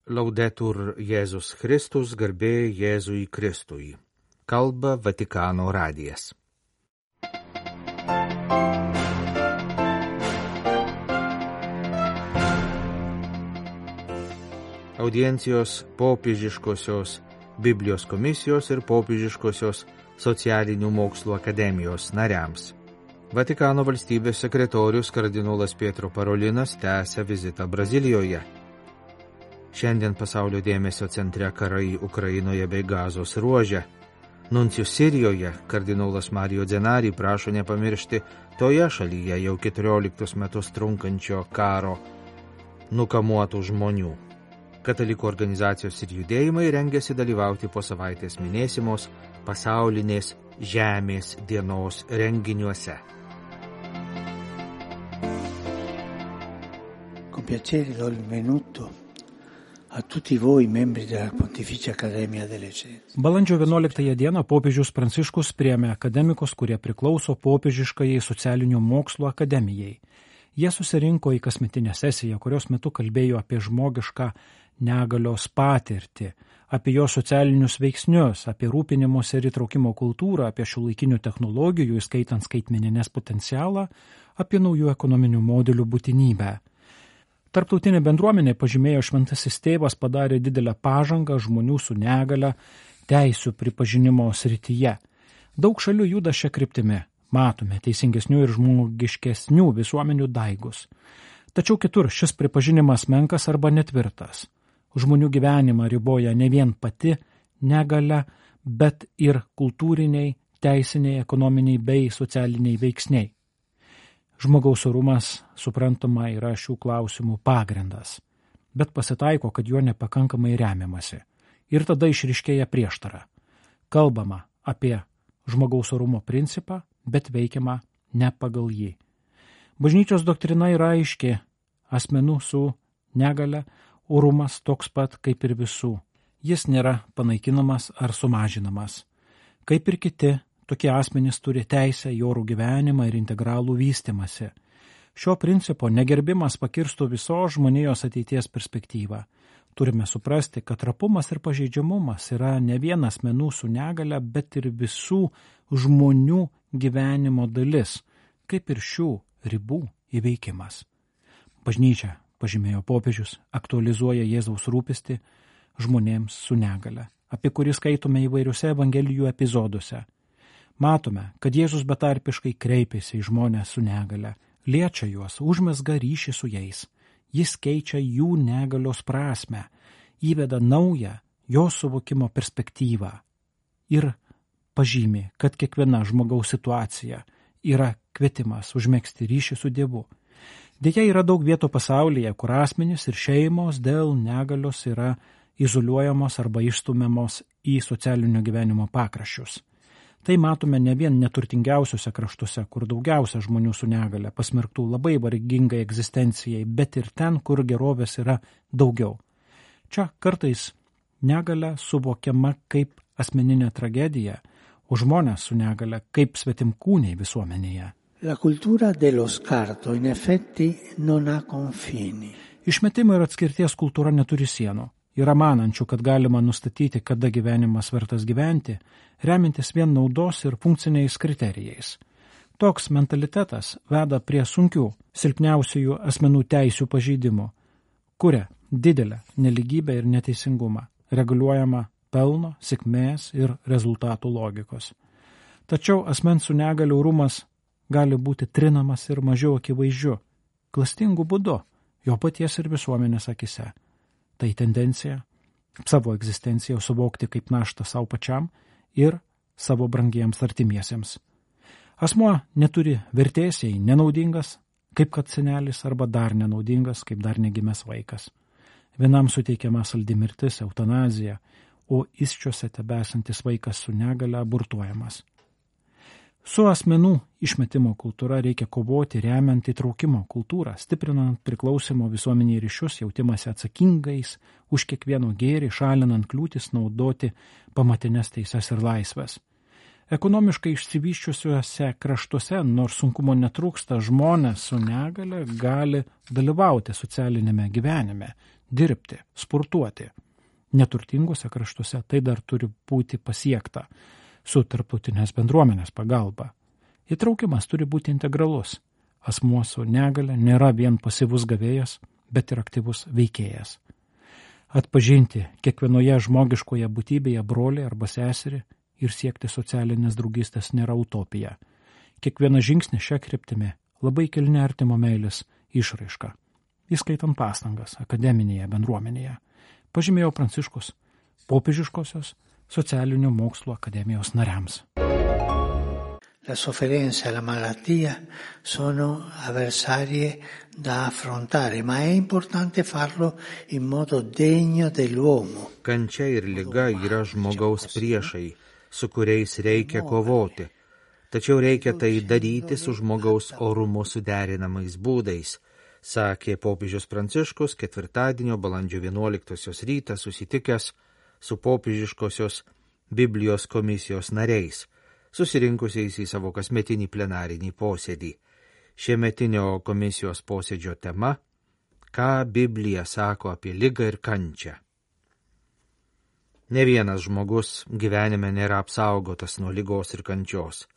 Laudetur Jėzus Kristus, garbė Jėzui Kristui. Kalba Vatikano radijas. Audiencijos popiežiškosios Biblijos komisijos ir popiežiškosios socialinių mokslų akademijos nariams. Vatikano valstybės sekretorius kardinolas Pietro Parolinas tęsia vizitą Brazilijoje. Šiandien pasaulio dėmesio centre karai Ukrainoje bei Gazos ruože. Nuncijus Sirijoje kardinolas Mario Zenari prašo nepamiršti toje šalyje jau 14 metus trunkančio karo nukamuotų žmonių. Katalikų organizacijos ir judėjimai rengiasi dalyvauti po savaitės minėsimos pasaulinės žemės dienos renginiuose. Con piacere do il benvenuto a tutti voi membri della Pontificia Accademia delle Scienze. Balandžio 11 dieną popiežius Pranciškus priėmė akademikus, kurie priklauso popiežiškajai socialinių mokslų akademijai. Jie susirinko į kasmetinę sesiją, kurios metu kalbėjo apie žmogišką negalios patirtį, apie jo socialinius veiksnius, apie rūpinimosi ir įtraukimo kultūrą, apie šiuolaikinių technologijų, įskaitant skaitmeninės potencialą, apie naujų ekonominių modelių būtinybę. Tarptautinė bendruomenė, pažymėjo Šventasis Tėvas, padarė didelę pažangą žmonių su negale teisių pripažinimo srityje. Daug šalių juda šią kryptimį. Matome teisingesnių ir žmogiškesnių visuomenių daigus. Tačiau kitur šis pripažinimas menkas arba netvirtas. Žmonių gyvenimą riboja ne vien pati negalia, bet ir kultūriniai, teisiniai, ekonominiai bei socialiniai veiksniai. Žmogaus orumas, suprantama, yra šių klausimų pagrindas, bet pasitaiko, kad juo nepakankamai remiamasi. Ir tada išryškėja prieštara. Kalbama apie žmogaus orumo principą, bet veikiama ne pagal jį. Bažnyčios doktrina yra aiški: asmenų su negale orumas toks pat kaip ir visų. Jis nėra panaikinamas ar sumažinamas. Kaip ir kiti, tokie asmenys turi teisę į orų gyvenimą ir integralų vystymąsi. Šio principo negerbimas pakirstų visos žmonijos ateities perspektyvą. Turime suprasti, kad trapumas ir pažeidžiamumas yra ne vien asmenų su negale, bet ir visų žmonių gyvenimo dalis, kaip ir šių ribų įveikimas. Bažnyčia, pažymėjo popiežius, aktualizuoja Jėzaus rūpestį žmonėms su negale, apie kurį skaitome įvairiuose evangelijų epizoduose. Matome, kad Jėzus betarpiškai kreipiasi į žmonės su negale, liečia juos, užmezga ryšį su jais. Jis keičia jų negalios prasmę, įveda naują jo suvokimo perspektyvą ir pažymi, kad kiekviena žmogaus situacija yra kvietimas užmegzti ryšį su Dievu. Deja, yra daug vietų pasaulyje, kur asmenys ir šeimos dėl negalios yra izoliuojamos arba išstumiamos į socialinio gyvenimo pakraščius. Tai matome ne vien neturtingiausiuose kraštuose, kur daugiausia žmonių su negale pasmerktų labai vargingai egzistencijai, bet ir ten, kur gerovės yra daugiau. Čia kartais negale suvokiama kaip asmeninė tragedija, o žmonės su negale kaip svetimkūniai visuomenėje. La cultura dello scarto in effetti non ha confini. Išmetimo ir atskirties kultūra neturi sienų. Yra manančių, kad galima nustatyti, kada gyvenimas vertas gyventi, remintis vien naudos ir funkciniais kriterijais. Toks mentalitetas veda prie sunkių, silpniausiųjų asmenų teisių pažeidimų, kuria didelę neligybę ir neteisingumą, reguliuojama pelno, sėkmės ir rezultatų logikos. Tačiau asmens su negalia orumas gali būti trinamas ir mažiau akivaizdžiu, klastingu būdu, jo paties ir visuomenės akise. Tai tendencija savo egzistenciją suvokti kaip naštą savo pačiam ir savo brangiems artimiesiems. Asmuo neturi vertės, jei nenaudingas, kaip kad senelis, arba dar nenaudingas, kaip dar negimęs vaikas. Vienam suteikiama saldi mirtis, eutanazija, o įsčiuose tebesantis vaikas su negale abortuojamas. Su asmenų išmetimo kultūra reikia kovoti remiant įtraukimo kultūrą, stiprinant priklausimo visuomeniai ryšius, jautimąsi atsakingais už kiekvieno gėrį, šalinant kliūtis naudoti pamatinės teises ir laisvės. Ekonomiškai išsivyščiusiuose kraštuose, nors sunkumo netrūksta, žmonės su negale gali dalyvauti socialinėme gyvenime, dirbti, sportuoti. Neturtingose kraštuose tai dar turi būti pasiekta su tarptautinės bendruomenės pagalba. Įtraukimas turi būti integralus. Asmuo su negale nėra vien pasyvus gavėjas, bet ir aktyvus veikėjas. Atpažinti kiekvienoje žmogiškoje būtybėje brolį arba seserį ir siekti socialinės draugystės nėra utopija. Kiekvieną žingsnį šią kryptimį labai kilni artimo meilės išraiška, įskaitant pastangas akademinėje bendruomenėje, pažymėjo Pranciškus Popiežiškosios socialinių mokslų akademijos nariams. La sofferenza e la malattia sono avversarie da affrontare, ma è importante farlo in modo degno dell'uomo. Kančia ir liga yra žmogaus priešai, su kuriais reikia kovoti. Tačiau reikia tai daryti su žmogaus orumu suderinamais būdais, sakė popiežius Pranciškus ketvirtadienio balandžio 11 rytą susitikęs su popiežiškosios Biblijos komisijos nariais, susirinkusiais į savo kasmetinį plenarinį posėdį. Šiemetinio komisijos posėdžio tema – ką Biblija sako apie ligą ir kančią. Ne vienas žmogus gyvenime nėra apsaugotas nuo ligos ir kančios,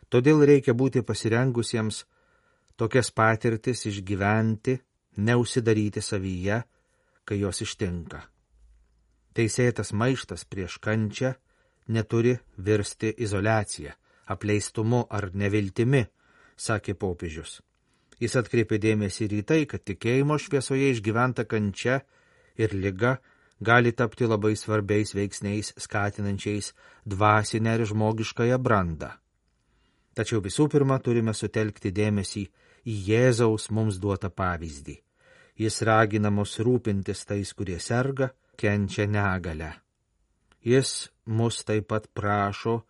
todėl reikia būti pasirengusiems tokias patirtis išgyventi, neužsidaryti savyje, kai jos ištinka. Teisėtas maištas prieš kančią neturi virsti izoliacija, apleistumu ar neviltimi, sakė popiežius. Jis atkreipė dėmesį ir į tai, kad tikėjimo šviesoje išgyventa kančia ir liga gali tapti labai svarbiais veiksniais skatinančiais dvasinę ir žmogiškąją brandą. Tačiau visų pirma turime sutelkti dėmesį į Jėzaus mums duotą pavyzdį. Jis ragina mus rūpintis tais, kurie serga, kenčia negalę. Jis mus taip pat prašo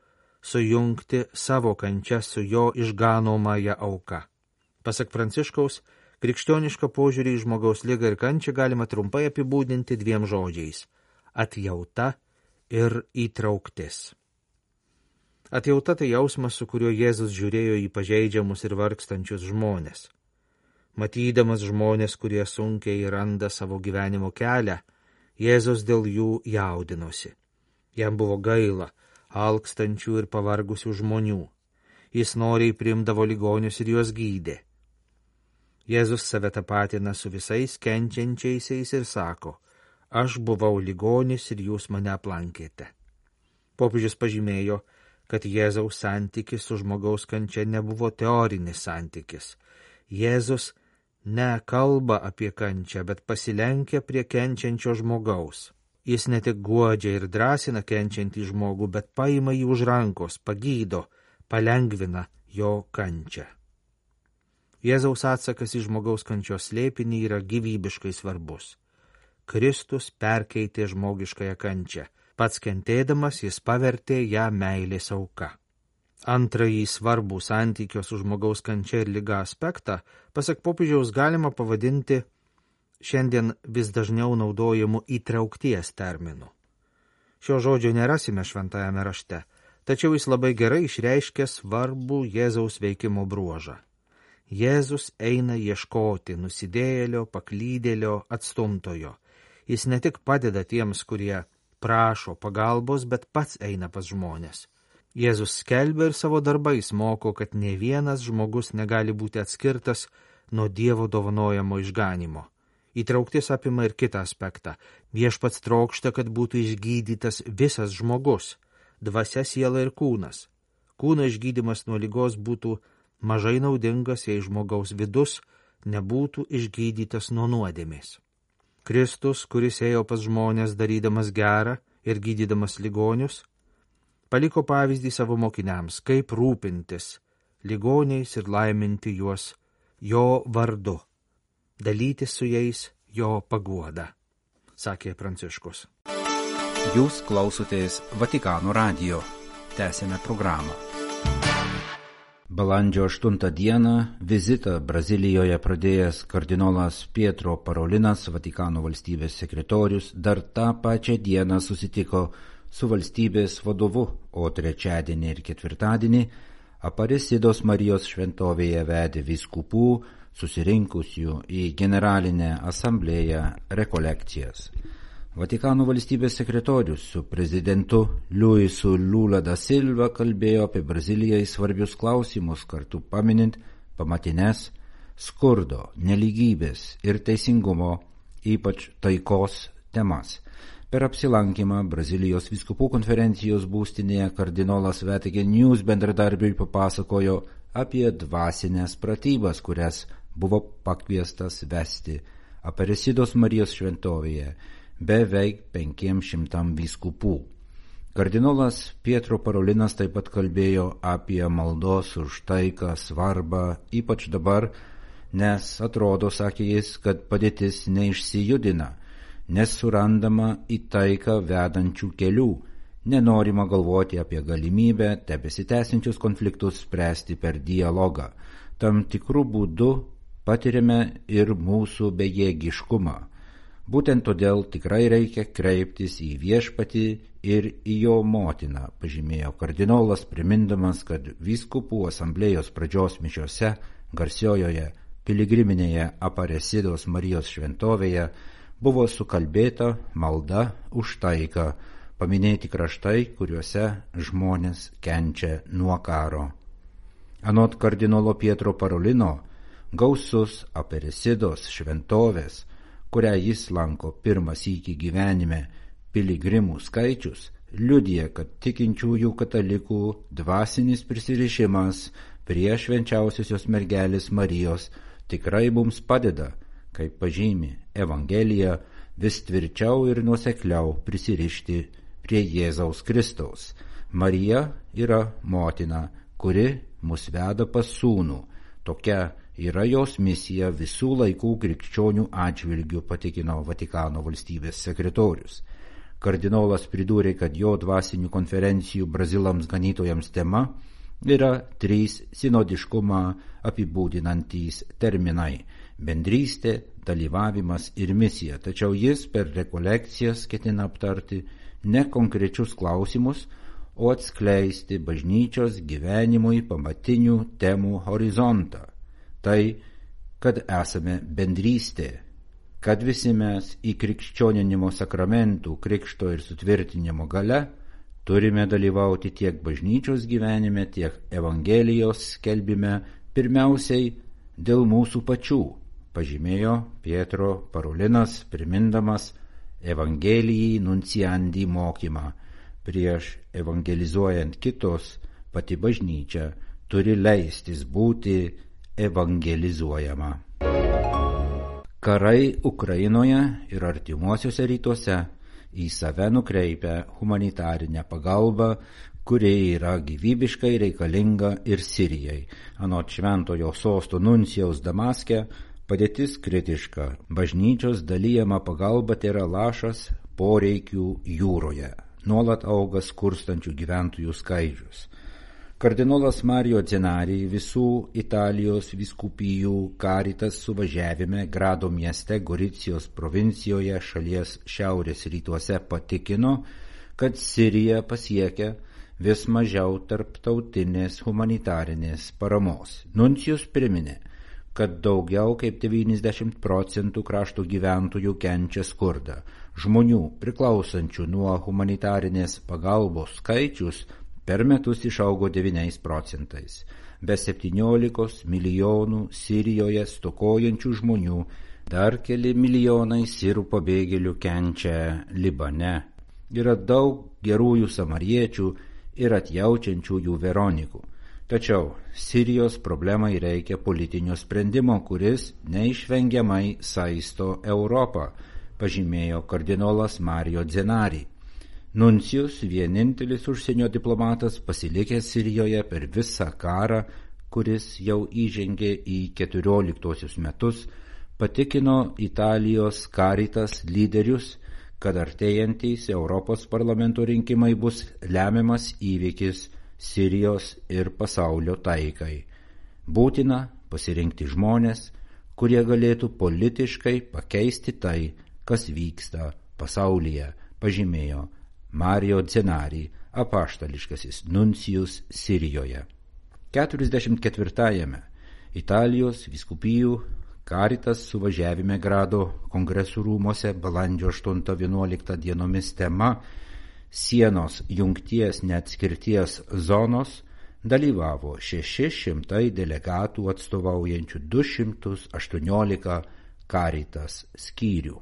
sujungti savo kančią su jo išganomąja auka. Pasak Pranciškaus, krikščionišką požiūrį į žmogaus ligą ir kančią galima trumpai apibūdinti dviem žodžiais – atjauta ir įtrauktis. Atjauta tai jausmas, su kuriuo Jėzus žiūrėjo į pažeidžiamus ir vargstančius žmonės. Matydamas žmonės, kurie sunkiai randa savo gyvenimo kelią, Jėzus dėl jų jaudinosi. Jam buvo gaila alkstančių ir pavargusių žmonių. Jis noriai priimdavo ligonius ir juos gydė. Jėzus save tapatina su visais kenčiančiaisiais ir sako, aš buvau ligonis ir jūs mane aplankėte. Popiežius pažymėjo, kad Jėzaus santykis su žmogaus kančia nebuvo teorinis santykis. Jėzus nekalba apie kančią, bet pasilenkia prie kenčiančio žmogaus. Jis ne tik guodžia ir drąsina kenčiantį žmogų, bet paima jį už rankos, pagydo, palengvina jo kančią. Jėzaus atsakas į žmogaus kančios slėpinį yra gyvybiškai svarbus. Kristus perkeitė žmogiškąją kančią. Pats kentėdamas jis pavertė ją meilės auka. Antrąjį svarbų santykio su žmogaus kančia ir liga aspektą, pasak popiežiaus, galima pavadinti šiandien vis dažniau naudojamų įtraukties terminų. Šio žodžio nerasime šventajame rašte, tačiau jis labai gerai išreiškia svarbų Jėzaus veikimo bruožą. Jėzus eina ieškoti nusidėjėlio, paklydėlio, atstumtojo. Jis ne tik padeda tiems, kurie prašo pagalbos, bet pats eina pas žmonės. Jėzus skelbia ir savo darbais moko, kad ne vienas žmogus negali būti atskirtas nuo Dievo dovanojamo išganimo. Įtrauktis apima ir kitą aspektą. Viešpats trokšta, kad būtų išgydytas visas žmogus, dvasia, siela ir kūnas. Kūno išgydymas nuo ligos būtų mažai naudingas, jei žmogaus vidus nebūtų išgydytas nuo nuodėmės. Kristus, kuris ėjo pas žmonės darydamas gerą ir gydydamas ligonius, paliko pavyzdį savo mokiniams, kaip rūpintis ligoniais ir laiminti juos jo vardu, dalytis su jais jo paguoda, sakė Pranciškus. Jūs klausotės Vatikano radijo. Tęsėme programą. Balandžio 8 dieną vizitą Brazilijoje pradėjęs kardinolas Pietro Parolinas, Vatikano valstybės sekretorius, dar tą pačią dieną susitiko su valstybės vadovu, o trečiadienį ir ketvirtadienį Aparecidos Marijos šventovėje vedė vyskupų, susirinkusių į Generalinę asamblėją rekolekcijas. Vatikano valstybės sekretorius su prezidentu Luisu Lula da Silva kalbėjo apie Brazilijai svarbius klausimus, kartu paminint pamatines skurdo, nelygybės ir teisingumo, ypač taikos temas. Per apsilankymą Brazilijos vyskupų konferencijos būstinėje kardinolas Vatican News bendradarbiui papasakojo apie dvasinės pratybas, kurias buvo pakviestas vesti Aparecidos Marijos šventovėje beveik 500 vyskupų. Kardinolas Pietro Parolinas taip pat kalbėjo apie maldos už taiką svarbą, ypač dabar, nes atrodo, sakė jis, kad padėtis neišsijudina, nes surandama į taiką vedančių kelių, nenorima galvoti apie galimybę tebesitęsiančius konfliktus spręsti per dialogą. Tam tikrų būdų patiriame ir mūsų bejėgiškumą. Būtent todėl tikrai reikia kreiptis į Viešpatį ir į jo motiną, pažymėjo kardinolas, primindamas, kad vyskupų asamblėjos pradžios mišiose garsiojoje piligriminėje Aparecidos Marijos šventovėje buvo sukalbėta malda už taiką, paminėti kraštai, kuriuose žmonės kenčia nuo karo. Anot kardinolo Pietro Parolino, gausus Aparecidos šventovės, kurią jis lanko pirmą sykį gyvenime, piligrimų skaičius, liudija, kad tikinčiųjų katalikų dvasinis prisirišimas prie švenčiausiosios mergelės Marijos tikrai mums padeda, kaip pažymi Evangelija, vis tvirčiau ir nuosekliau prisirišti prie Jėzaus Kristaus. Marija yra motina, kuri mus veda pas sūnų. Tokia yra jos misija visų laikų krikščionių atžvilgių, patikino Vatikano valstybės sekretorius. Kardinolas pridūrė, kad jo dvasinių konferencijų Brazilams ganytojams tema yra 3 sinodiškumą apibūdinantys terminai – bendrystė, dalyvavimas ir misija. Tačiau jis per rekolekcijas ketina aptarti ne konkrečius klausimus, o atskleisti bažnyčios gyvenimui pamatinių temų horizontą. Tai, kad esame bendrystė, kad visi mes į krikščioninimo sakramentų, krikšto ir sutvirtinimo gale turime dalyvauti tiek bažnyčios gyvenime, tiek Evangelijos skelbime, pirmiausiai dėl mūsų pačių, pažymėjo Pietro Parolinas, primindamas Evangelijai nunciandi mokymą. Prieš evangelizuojant kitos, pati bažnyčia turi leistis būti evangelizuojama. Karai Ukrainoje ir artimuosiuose rytuose į save nukreipia humanitarinę pagalbą, kuri yra gyvybiškai reikalinga ir Sirijai. Anot šventojo sosto nuncijaus Damaske, padėtis kritiška. Bažnyčios dalijama pagalba tėra lašas poreikių jūroje. Nuolat auga skurstančių gyventojų skaičius. Kardinolas Mario Zenari visų Italijos vyskupijų Caritas suvažiavime Grado mieste Goricijos provincijoje šalies šiaurės rytuose patikino, kad Sirija pasiekia vis mažiau tarptautinės humanitarinės paramos. Nuncijus priminė, kad daugiau kaip 90% krašto gyventojų kenčia skurdą. Žmonių priklausančių nuo humanitarinės pagalbos skaičius per metus išaugo 9%. Be 17 milijonų Sirijoje stokojančių žmonių, dar keli milijonai sirų pabėgėlių kenčia Libane. Yra daug gerųjų samariečių ir atjaučiančiųjų Veronikų. Tačiau Sirijos problemai reikia politinio sprendimo, kuris neišvengiamai saisto Europą, pažymėjo kardinolas Mario Zenari. Nuncijus, vienintelis užsienio diplomatas pasilikęs Sirijoje per visą karą, kuris jau įžengė į 14 metus, patikino Italijos Caritas lyderius, kad artėjantys Europos parlamento rinkimai bus lemiamas įvykis Sirijos ir pasaulio taikai. Būtina pasirinkti žmonės, kurie galėtų politiškai pakeisti tai, kas vyksta pasaulyje, pažymėjo Mario Zenari, apaštališkasis nuncijus Sirijoje. 44-ame Italijos vyskupijų Caritas suvažiavime Grado kongresų rūmose balandžio 8-11 dienomis tema Sienos jungties neatskirties zonos dalyvavo 600 delegatų atstovaujančių 218 Caritas skyrių.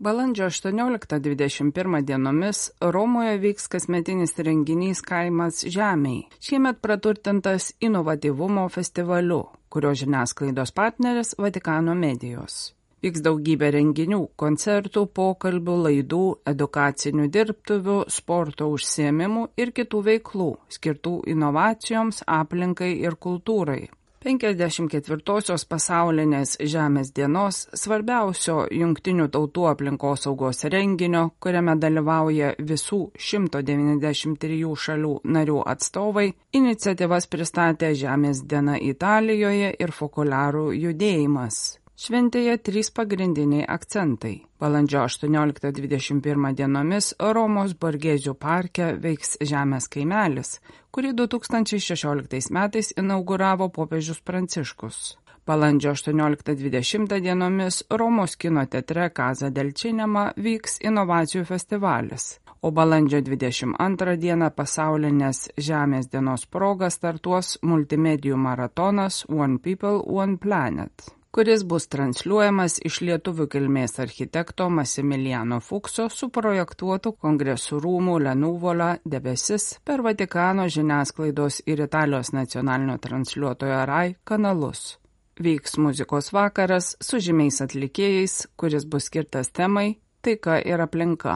Balandžio 18-21 dienomis Romoje vyks kasmetinis renginys Kaimas žemei, šiemet praturtintas inovatyvumo festivaliu, kurio žiniasklaidos partneris Vatikano medijos. Vyks daugybė renginių, koncertų, pokalbių, laidų, edukacinių dirbtuvių, sporto užsiėmimų ir kitų veiklų, skirtų inovacijoms, aplinkai ir kultūrai. 54-osios pasaulinės Žemės dienos svarbiausio Jungtinių tautų aplinkosaugos renginio, kuriame dalyvauja visų 193 šalių narių atstovai, iniciatyvas pristatė Žemės diena Italijoje ir Fokuliarų judėjimas. Šventėje 3 pagrindiniai akcentai. Balandžio 18-21 dienomis Romos Borgėzių parke veiks Žemės kaimelis, kurį 2016 metais inauguravo popiežius Pranciškus. Balandžio 18-20 dienomis Romos kino teatre Casa del Cinema vyks inovacijų festivalis, o balandžio 22 dieną pasaulinės Žemės dienos proga startuos multimedijų maratonas One People, One Planet, kuris bus transliuojamas iš lietuvių kilmės architekto Massimiliano Fukso suprojektuotų kongresų rūmų Lenuvola debesis per Vatikano žiniasklaidos ir Italijos nacionalinio transliuotojo RAI kanalus. Vyks muzikos vakaras su žymiais atlikėjais, kuris bus skirtas temai Taika ir aplinka.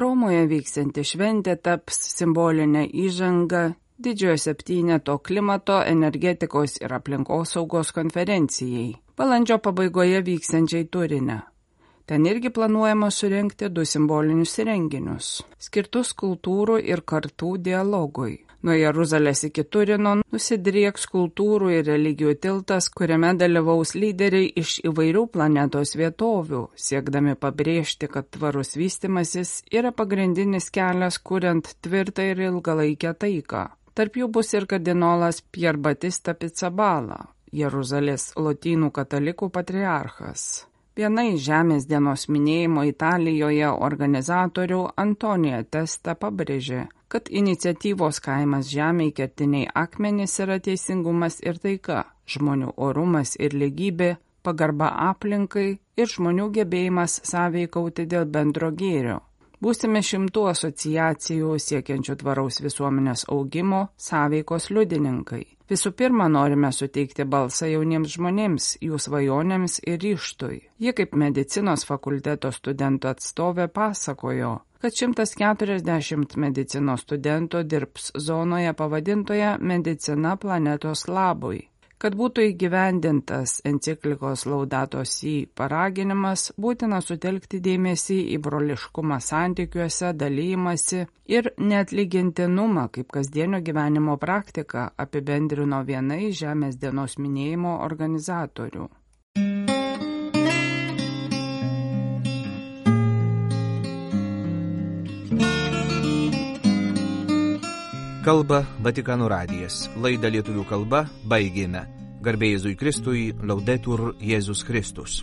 Romoje vyksianti šventė taps simbolinė įžanga Didžiojo septyneto klimato, energetikos ir aplinkosaugos konferencijai, balandžio pabaigoje vyksiančiai Turine. Ten irgi planuojama surengti 2 simbolinius renginius, skirtus kultūrų ir kartų dialogui. Nuo Jeruzalės iki Turino nusidrieks kultūrų ir religijų tiltas, kuriame dalyvaus lyderiai iš įvairių planetos vietovių, siekdami pabrėžti, kad tvarus vystimasis yra pagrindinis kelias kuriant tvirtą ir ilgalaikę taiką. Tarp jų bus ir kardinolas Pier Battista Pizzaballa, Jeruzalės lotynų katalikų patriarchas. Viena iš Žemės dienos minėjimo Italijoje organizatorių Antonija Testa pabrėžė, kad iniciatyvos Kaimas žemei kertiniai akmenys yra teisingumas ir taika, žmonių orumas ir lygybė, pagarba aplinkai ir žmonių gebėjimas sąveikauti dėl bendro gėrio. Būsime 100 asociacijų siekiančių tvaraus visuomenės augimo sąveikos liudininkai. Visų pirma, norime suteikti balsą jauniems žmonėms, jų svajonėms ir ryžtui. Jie kaip medicinos fakulteto studentų atstovė pasakojo, kad 140 medicinos studentų dirbs zonoje pavadintoje Medicina planetos labui. Kad būtų įgyvendintas enciklikos Laudato Si paraginimas, būtina sutelkti dėmesį į broliškumą santykiuose, dalymasi ir neatlygintinumą kaip kasdienio gyvenimo praktiką, apibendrino viena iš Žemės dienos minėjimo organizatorių. Kalba Vatikano radijas. Laidą lietuvių kalba baigėme. Garbė Jėzui Kristui, Laudetur Jėzus Kristus.